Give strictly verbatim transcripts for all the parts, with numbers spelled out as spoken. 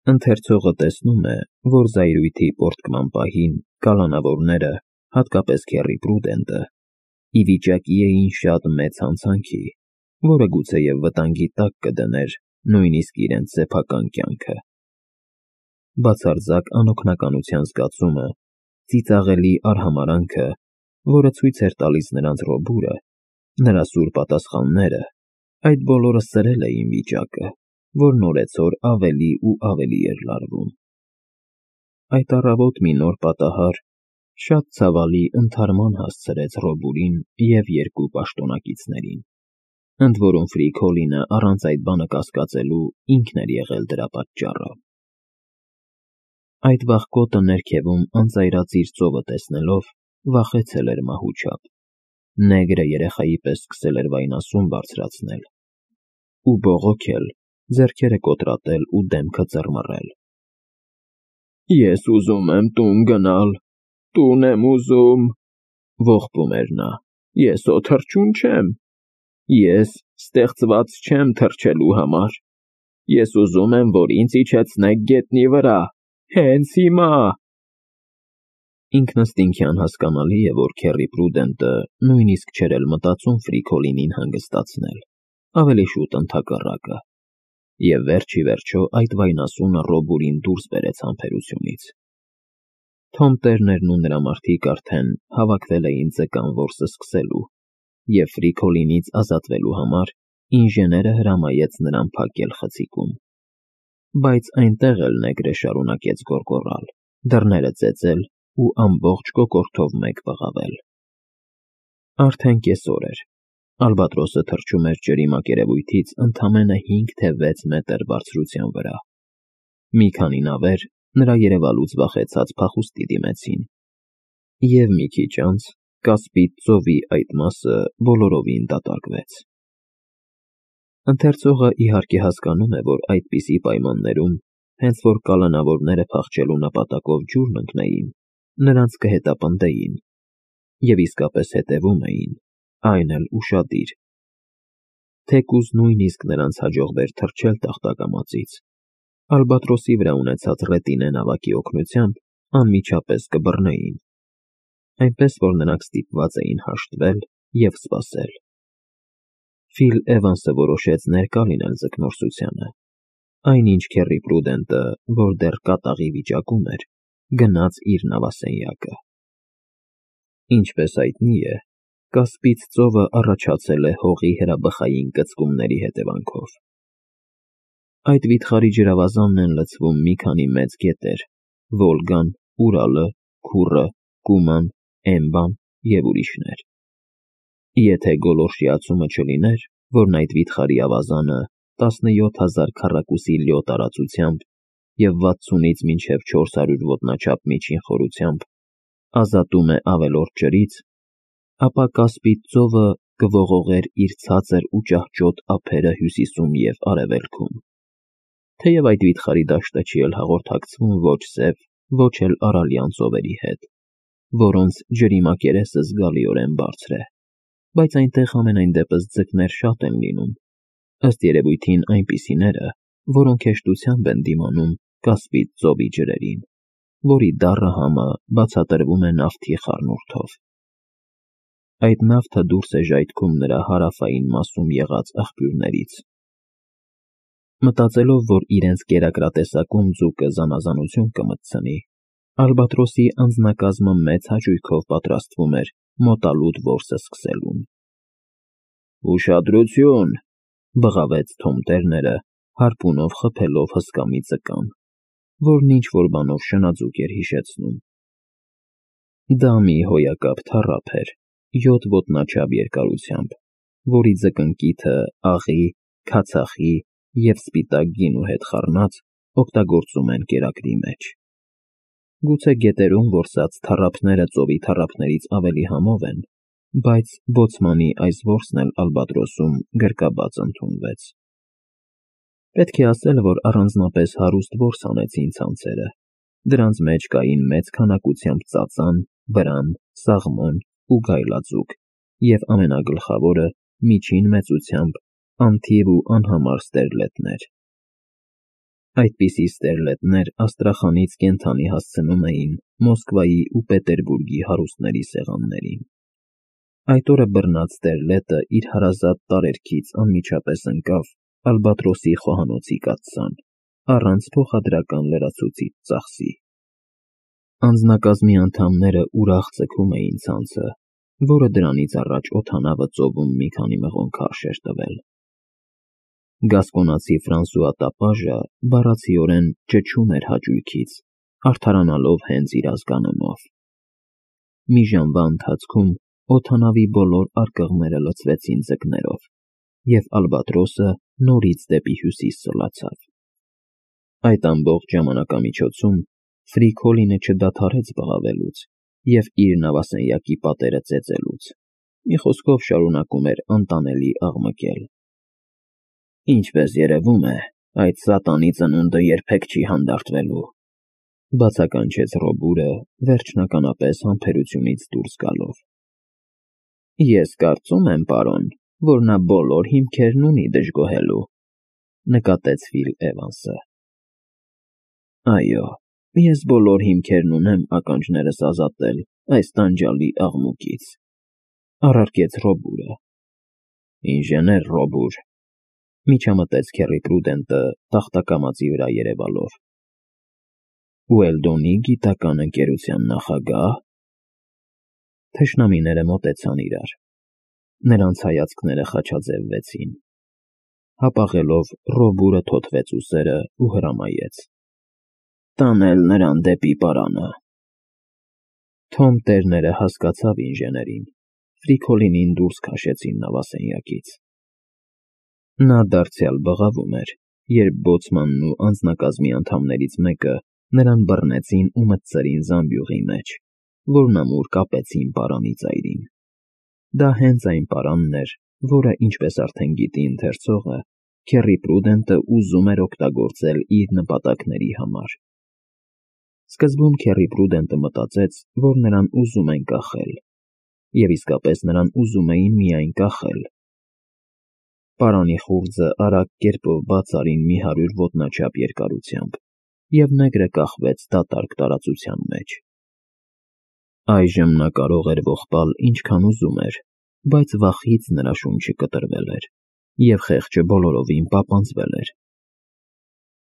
Ընթերցողը տեսնում է, որ զայրույթի պոռթկման պահին կալանավորները, հատկապես քեռի Պրուդենտը, ի վիճակի էին շատ մեծ հանցանքի, որը գուցեև վտանգի տակ կդներ նույնիսկ իրենց սեփական կյանքը։ Բացարձակ անօգնականության զգացումը, ծիծաղելի արհամարհանքը, որը ցույց էր տալիս նրանց Ռոբուրը, նրա սուր պատասխանները, այդ բոլորը սրել էին վիճակը, որն օրեցօր ավելի ու ավելի էր լարվում։ Այդ առավոտ մի նոր պատահար շատ ցավալի ընդհարման հասցրեց Ռոբուրին և երկու պաշտոնակիցներին, ընդ որում Ֆրի-Քոլինը առանց այդ բանը կասկածելու ինքն էր եղել դրա պատճառը։ Այդ վախկոտը ներքևում անծայրածիր ծովը տեսնելով վախեցել էր մահու չափ, նեգրը երեխայի պես սկսել էր վայնասուն բարձրացնել ու բողոքել, ձեռքերը կոտրատել ու դեմքը ծռմռել։ «Ես ուզում եմ տուն գնալ, տուն եմ ուզում», ողբում էր նա, «ես հո թռչուն չեմ, ես ստեղծված չեմ թռչելու համար, ես ուզում եմ, որ ինձ իջեցնեք գետնի վրա, հենց հիմա»։ Ինքնըստինքյան հասկանալի է, որ քեռի Պրուդենտը նույնիսկ չէր էլ մտածում Ֆրի-Քոլինին հանգստացնել, ավելի շուտ ընդհակառակը, և վերջ ի վերջո այդ վայնասունը Ռոբուրին դուրս բերեց համբերությունից։ Թոմտերներն ու նրա մարդիկ արդեն հավաքվել էին ձկան որսը սկսելու, և Ֆրի-Քոլինից ազատվելու համար ինժեները հրամայեց նրան փակել խցիկում։ Բայց այնտեղ էլ նեգրը շարունակեց գոռգոռալ, դռները ծեծել ու ամբողջ կոկորդով մեկ բղավել։ Արդեն կեսօր էր։ Ալբատրոսը թռչում էր ջրի մակերևույթից ընդամենը հինգ թե վեց մետր բարձրության վրա։ Մի քանի նավեր նրա երևալուց վախեցած փախուստի դիմեցին, և մի քիչ անց Կասպից ծովի այդ մասը բոլորովին դատարկվեց։ Ընթերցողը իհարկե հասկանում է, որ այդպիսի պայմաններում, հենց որ կալանավորները փախչելու նպատակով ջուրն ընկնեին, նրանց կհետապնդեին, և իսկապես հետևում էին, այն էլ ուշադիր։ Թեկուզ նույնիսկ նրանց հաջողվեր թռչել տախտակամածից, Ալբատրոսի վրա ունեցած ռետինե նավակի օգնությամբ անմիջապես կբռնեին, այնպես որ նրանք ստիպված էին հաշտվել և սպասել։ Ֆիլ Էվանսը որոշեց ներկա լինել ձկնորսությանը, այնինչ քեռի Պրուդենտը, որ դեռ կատաղի վիճակում էր, գնաց իր նավասենյակը։ Ինչպես հայտնի է, Կասպից ծովը առաջացել է հողի հրաբխային կծկումների հետևանքով։ Այդ վիթխարի ջրավազանն են լցվում մի քանի մեծ գետեր՝ Վոլգան, Ուրալը, Քուրը, Կուման, Էմբան և ուրիշներ։ Եթե գոլորշիացումը չլիներ, որն այդ վիթխարի ավազանը տասնյոթ հազար քառակուսի լյո տարածությամբ և վաթսունից մինչև չորս հարյուր ոտնաչափ միջին խորությամբ ազատում է ավելորդ ջրից, ապա Կասպից ծովը կողողեր իր ցածր ու ճահճոտ ափերը հյուսիսում և արևելքում։ Թեև այդ վիթխարի դաշտը չի էլ հաղորդակցվում ոչ Սև, ոչ էլ Արալյան ծովերի հետ, որոնց ջրի մակերեսը զգալիորեն բարձր է, բայց այնտեղ համենայն դեպս ձկներ շատ են լինում, ըստ երևույթին այնպիսիները, որոնք հեշտությամբ են դիմանում Կասպից ծովի ջրերին, որի դառը համը բացատրվում է նավթի խառնուրդով։ Այդ նավթը դուրս է ժայթքում նրա հարավային մասում եղած աղբյուրներից։ Մտածելով, որ իրենց կերակրատեսակում ձուկը զանազանություն կմտցնի, Ալբատրոսի անձնակազմը մեծ հաճույքով պատրաստվում էր մոտալուտ որսը սկսելուն։ «Ուշադրություն», բղավեց Թոմ Տերները, հարպունով խփելով հսկա մի ձկան, որն ինչ-որ բանով շնաձուկ էր հիշեցնում։ Դա մի հոյակապ թառափ էր, յոթ ոտնաչափ երկարությամբ, որի ձկնկիթը աղի, քացախի և սպիտակ գինու հետ խառնած օգտագործում են կերակրի մեջ։ Գուցե գետերում որսած թառափները ծովի թառափներից ավելի համով են, բայց բոցմանի այս որսն էլ Ալբատրոսում գրկաբաց ընդունվեց։ Պետք է ասել, որ առանձնապես հարուստ որս հանեցին ցանցերը, դրանց մեջ կային մեծ քանակությամբ ծածան, բրամ, սաղմոն ու գայլաձուկ և ամենագլխավորը միջին մեծությամբ անթիվ ու անհամար ստերլետներ։ Այդպիսի ստերլետներ Աստրախանից կենդանի հասցնում էին Մոսկվայի ու Պետերբուրգի հարուստների սեղաններին։ Այդ օրը բռնած ստերլետը իր հարազատ տարերքից անմիջապես ընկավ Ալբատրոսի խոհանոցի կաթսան, առանց փոխադրական լրացուցիչ ծախսի։ Անձնակազմի անդամները ուրախ ձգում էին ցանցը, որը դրանից առաջ օդանավը ծովում մի քանի մղոն քարշ էր տվել։ Գասկոնացի Ֆրանսուଆ տապաժը բառացիորեն ճչում էր հաճույքից, արդարանալով հենց իր ազգանունով։ Մի ժամվա ընթացքում օդանավի բոլոր արկղները լցվեցին ձկներով, և Ալբատրոսը նորից դեպի հյուսիս սլացավ։ Այդ ամբողջ ժամանակամիջոցում Ֆրիկոլինը չդադարեց բղավելուց և իր նավասենյակի պատերը ծեծելուց, մի խոսքով շարունակում էր անտանելի աղմկել։ «Ինչպես երևում է, այդ սատանի ծնունդը երբեք չի հանդարտվելու», բացականչեց Ռոբուրը, վերջնականապես համբերությունից դուրս գալով։ «Ես կարծում եմ, պարոն, որ նա բոլոր հիմքերն ունի դժգոհելու», նկատեց Ֆիլ Էվանսը։ «Այո, ես բոլոր հիմքերն ունեմ ականջներս ազատել այս տանջալի աղմուկից», առարկեց Ռոբուրը։ «Ինժեներ Ռոբուր», միջամտեց Քեռի Պրուդենտը տախտակամածի վրա երևալով։ «Ուելդոնի գիտական ընկերության նախագա՞հ»։ Թշնամիները մոտեցան իրար։ Նրանց հայացքները խաչաձևվեցին։ Հապաղելով Ռոբուրը թոթվեց ուսերը ու հրամայեց. «Տանել նրան դեպի պարանը»։ Թոմ տերները հասկացավ ինժեներին, Ֆրիկոլինին դուրս քաշեցին նավասենյակից։ Նա դարձյալ բղավում էր, երբ բոցմանն ու անձնակազմի անդամներից մեկը նրան բռնեցին ու մտցրին զամբյուղի մեջ, որն ամուր կապեցին պարանի ծայրին։ Դա հենց այն պարանն էր, որը, ինչպես արդեն գիտի ընթերցողը, Քեռի Պրուդենտը ուզում էր օգտագործել իր նպատակների համար։ Սկզբում Քեռի Պրուդենտը մտածեց, որ նրան ուզում են կախել, և իսկապես նրան ուզում էին միայն կախել։ Պարանի խուრძը արագ կերպով բաց արին մի հարյուր ոտնաչափ երկարությամբ, և նեգրը կախվեց դատարկ տարածության մեջ։ Այժմ նա կարող էր ողբալ ինչքան ուզում էր, բայց վախից նրա շունչը կտրվել էր, և խեղճը բոլորովին պապանձվել էր։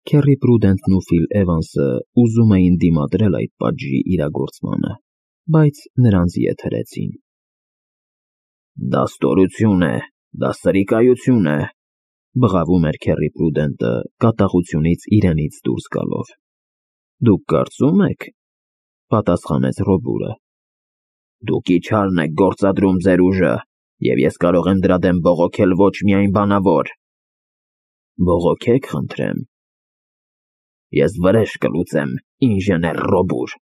Քեռի Պրուդենտն ու Ֆիլ Էվանսը ուզում էին դիմադրել այդ պատժի իրագործմանը, բայց նրանց ետ հրեցին։ «Դա ստորություն է, դա սրիկայություն է», բղավում էր Քեռի Պրուդենտը կատաղությունից իրենից դուրս գալով։ «Դուք կարծում եք», պատասխանեց Ռոբուրը։ «Դուք իչարն եք գործադրում ձեր ուժը, և ես կարող եմ դրա դեմ բողոքել ոչ միայն բանավոր»։ «Բողոքեք, խնդրեմ»։ «Ես վրեժ կլուծեմ, ինժեներ Ռոբուր»։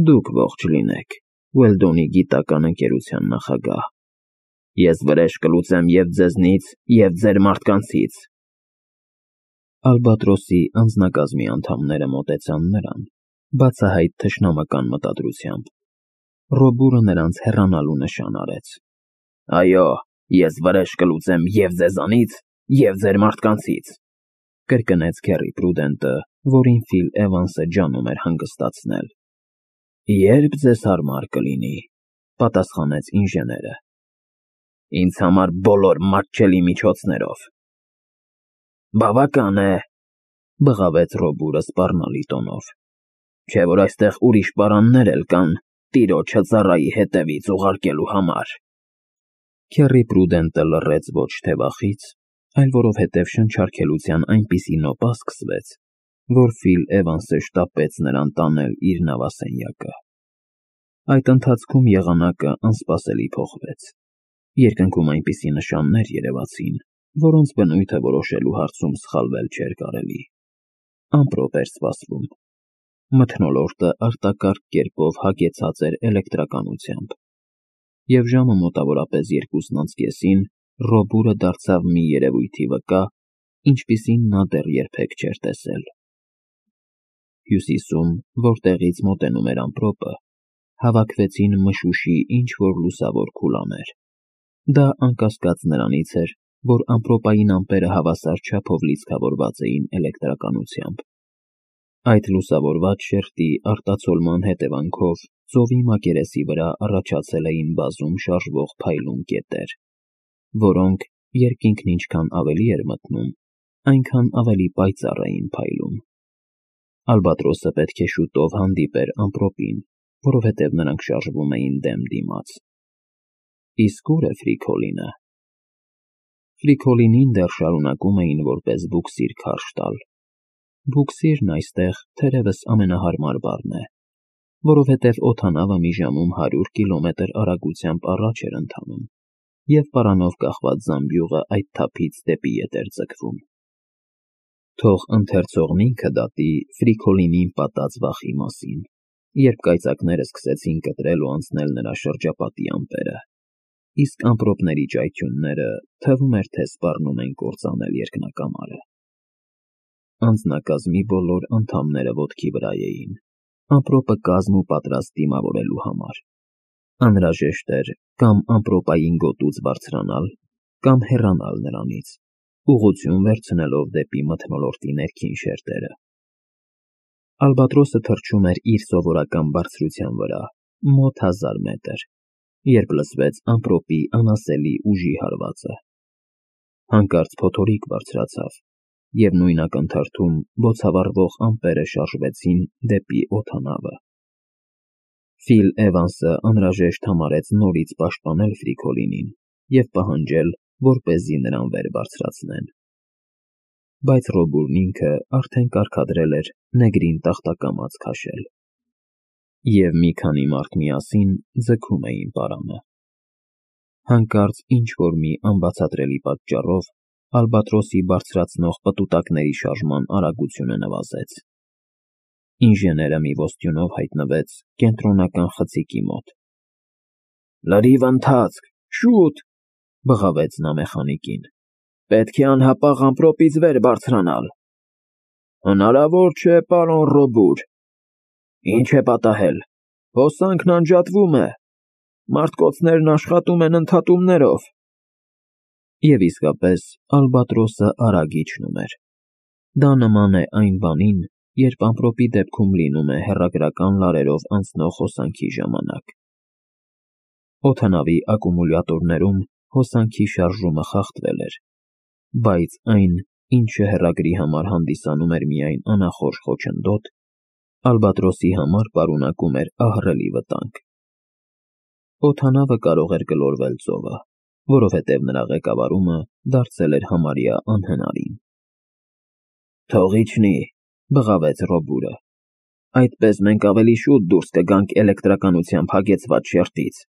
«Դուք ողջ լինեք, Ուելդոնի գիտական ընկերության նախագահ։ Ես վրեժ կլուծեմ և ձեզնից, և ձեր մարդկանցից»։ Ալբատրոսի անձնակազմի անդամները մոտեցան նրան, բացահայտ թշնամական մտադրությամբ։ Ռոբուրը նրանց հեռանալու նշան արեց։ «Այո, ես վրեժ կլուծեմ և ձեզանից, և ձեր մարդկանցից», կրկնեց Քեռի Պրուդենտը, որին Ֆիլ Էվանսը ջանում էր հանգստացնել։ «Երբ ձեզ հարմար կլինի», պատասխանեց ինժեները։ «Ինձ համար բոլոր մատչելի միջոցներով»։ «Բավական է», բղավեց Ռոբուրը սպառնալի տոնով, «չէ՞ որ այստեղ ուրիշ պարաններ էլ կան տիրոջը ծառայի հետևից ուղարկելու համար»։ Քեռի Պրուդենտը լռեց ոչ թե վախից, այլ որովհետև շնչառքելության այնպիսի նոպա սկսվեց, որ Ֆիլ Էվանսը շտապեց նրան տանել իր նավասենյակը։ Այդ ընթացքում եղանակը անսպասելի փոխվեց։ Երկնքում այնպիսի նշաններ երևացին, որոնց բնույթը որոշելու հարցում սխալվել չէր կարելի։ Ամպրոպ էր սպասվում։ Մթնոլորտը արտակարգ կերպով հագեցած էր էլեկտրականությամբ, և ժամը մոտավորապես երկուսն անց կեսին Ռոբուրը դարձավ մի երևույթի վկա, ինչպիսին նա դեռ երբեք չէր տեսել։ Հյուսիսում, որտեղից մոտենում էր ամպրոպը, հավաքվեցին մշուշի ինչ-որ լուսավոր քուլաներ։ Դա անկասկած նրանից էր, որ ամպրոպային ամպերը հավասար չափով լիցքավորված էին էլեկտրականությամբ։ Այդ լուսավորված շերտի արտացոլման հետևանքով ծովի մակերեսի վրա առաջացել էին բազում շարժվող փայլուն կետեր, որոնք, երկինքն ինչքան ավելի էր մթնում, այնքան ավելի պայծառ էին փայլում։ Ալբատրոսը պետք է շուտով հանդիպեր ամպրոպին, որովհետև նրանք շարժվում էին դեմ դիմաց։ Իսկ ուր է Ֆրիկոլինը։ Ֆրիկոլինին դեռ շարունակում էին որպես բուքսիր քարշ տալ։ Բուքսիրն այստեղ թերևս ամենահարմար բառն է, որովհետև օդանավը մի ժամում հարյուր կիլոմետր արագությամբ առաջ էր ընթանում, և պարանով կախված զամբյուղը այդ թափից դեպի ետ էր ձգվում։ Թող ընթերցողն ինքը դատի Ֆրիկոլինին պատած վախի մասին, երբ կայծակները սկսեցին կտրել ու անցնել նրա շրջապատի ամպերը, իսկ ամպրոպների ճայթյունները թվում էր, թե սպառնում են կործանել երկնակամարը։ Անձնակազմի բոլոր անդամները ոտքի վրա էին, ամպրոպը կազմ ու պատրաստ դիմավորելու համար։ Անհրաժեշտ էր կամ ամպրոպային գոտուց բարձրանալ, կամ հեռանալ նրանից, ուղղություն վերցնելով դեպի մթնոլորտի ներքին շերտերը։ Ալբատրոսը թռչում էր իր սովորական բարձրության վրա, մոտ հազար մետր, երբ լսվեց ամպրոպի անասելի ուժի հարվածը։ Հանկարծ փոթորիկ բարձրացավ, և նույն ակնթարթում բոցավառվող ամպերը շարժվեցին դեպի օդանավը։ Ֆիլ Էվանսը անհրաժեշտ համարեց նորից պաշտպանել Ֆրիկոլինին և պահանջել, որպեսզի նրան վեր բարձրացնեն։ Բայց Ռոբուրն ինքը արդեն կարգադրել էր նեգրին տախտակամաց քաշել, և մի քանի մարդ միասին ձգում էին պարանը։ Հանկարծ ինչ-որ մի անբացատրելի պատճառով Ալբատրոսի բարձրացնող պտուտակների շարժման արագությունը նվազեց։ Ինժեները մի ոստյունով հայտնվեց կենտրոնական խցիկի մոտ։ «Լրիվ ընթացք, շուտ», բղավեց նա մեխանիկին։ «Պետք է անհապաղ ամպրոպից վեր բարձրանալ»։ «Հնարավոր չէ, պարոն Ռոբուր»։ «Ինչ է պատահել»։ «Հոսանքն անջատվում է։ Մարտկոցներն աշխատում են ընդհատումներով»։ Եվ իսկապես Ալբատրոսը արագ իջնում էր։ Դա նման է այն բանին, երբ ամպրոպի դեպքում լինում է հեռագրական լարերով անցնող հոսանքի ժամանակ։ Օդանավի ակումուլյատորներում հոսանքի շարժումը խախտվել էր, բայց այն, ինչը հեռագրի համար հանդիսանում էր միայն անախորժ խոչընդոտ, Ալբատրոսի համար պարունակում էր ահռելի վտանգ։ Օդանավը կարող էր գլորվել ծովը, որովհետև նրա ղեկավարումը դարձել էր համարյա անհնարին։ «Թող իջնի», բղավեց Ռոբուրը։ «Այդպես մենք ավելի շուտ դուրս կգանք էլեկտրականությամբ հագեցված շերտից»։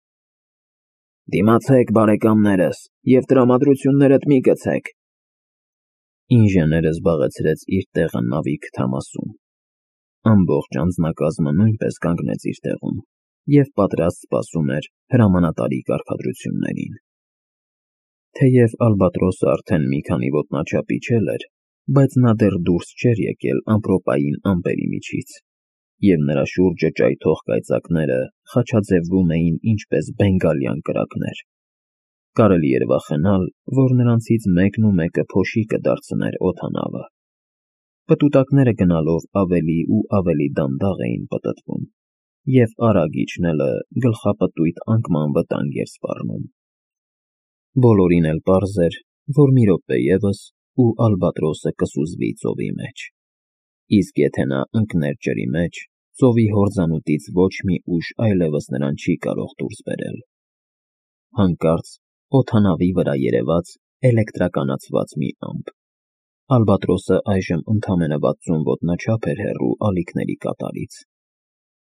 «Դիմացեք, բարեկամներս, և տրամադրություններդ մի գցեք»։ Ինժեները զբաղեցրեց իր տեղը նավի քթամասում։ Ամբողջ անձնակազմը նույնպես կանգնեց իր տեղում և պատրաստ սպասում էր հրամանատարի կարգադրություններին։ Թեև Ալբատրոսը արդեն մի քանի ոտնաչափ իջել էր, բայց նա դեռ դուրս չէր եկել ամպրոպային ամպերի միջից, և նրա շուրջը ճայթող կայծակները խաչաձևվում էին ինչպես բենգալյան կրակներ։ Կարելի էր վախենալ, որ նրանցից մեկն ու մեկը փոշի կդարձներ օդանավը։ Պտուտակները գնալով ավելի ու ավելի դանդաղ էին պտտվում, և արագ իջնելը գլխապտույտ անկման վտանգ էր սպառնում։ Բոլորին էլ պարզ էր, որ մի րոպե ևս, ու Ալբատրոսը կսուզվի ծովի մեջ, իսկ եթե նա ընկներ ջրի մեջ, ծովի հորձանուտից ոչ մի ուժ այլևս նրան չի կարող դուրս բերել։ Հանկարծ օդանավի վրա երևաց էլեկտրականացված մի ամպ։ Ալբատրոսը այժմ ընդամենը վաթսուն ոտնաչափ էր հեռու ալիքների կատարից։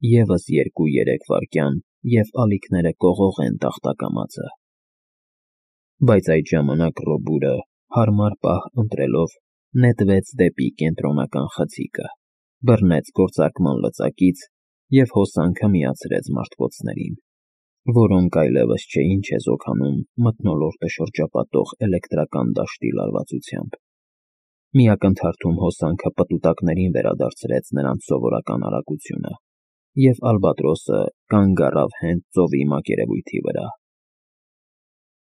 Եվս երկու-երեք վայրկյան, և ալիքները կողողեն տախտակամածը։ Բայց այդ ժամանակ Ռոբուրը, հարմար պահ ընտրելով, նետվեց դեպի կենտրոնական խցիկը, բռնեց գործարկման լծակից և հոսանքը միացրեց մարտկոցներին, որոնք այլևս չէին չեզոքանում մթնոլորտը շրջապատող էլեկտրական դաշտի լարվածությամբ։ Մի ակնթարթում հոսանքը պտուտակներին վերադարձրեց նրանց սովորական արագությունը, և Ալբատրոսը կանգ առավ հենց ծովի մակերևույթի վրա։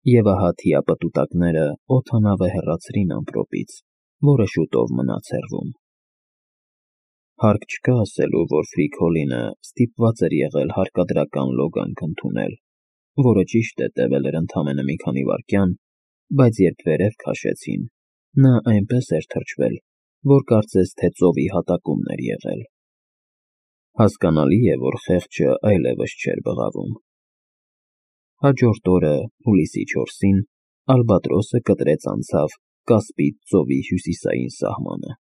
Եվ ահա թիապտուտակները օդանավը հեռացրին ամպրոպից, որը շուտով մնաց հեռվում։ Հարկ չկա ասելու, որ Ֆրի-Քոլինը ստիպված էր եղել հարկադրական լոգանք ընդունել, որը ճիշտ է տևել էր ընդամենը մի քանի վայրկյան, բայց երբ վերև քաշեցին, նա այնպես էր թրջվել, որ կարծես թե ծովի հատակումն էր եղել։ Հասկանալի է, որ խեղճը այլևս չէր բղավում։ Հաջորդ օրը, հուլիսի չորսին, Ալբատրոսը կտրեց անցավ Կասպից ծովի հյուսիսային սահմանը։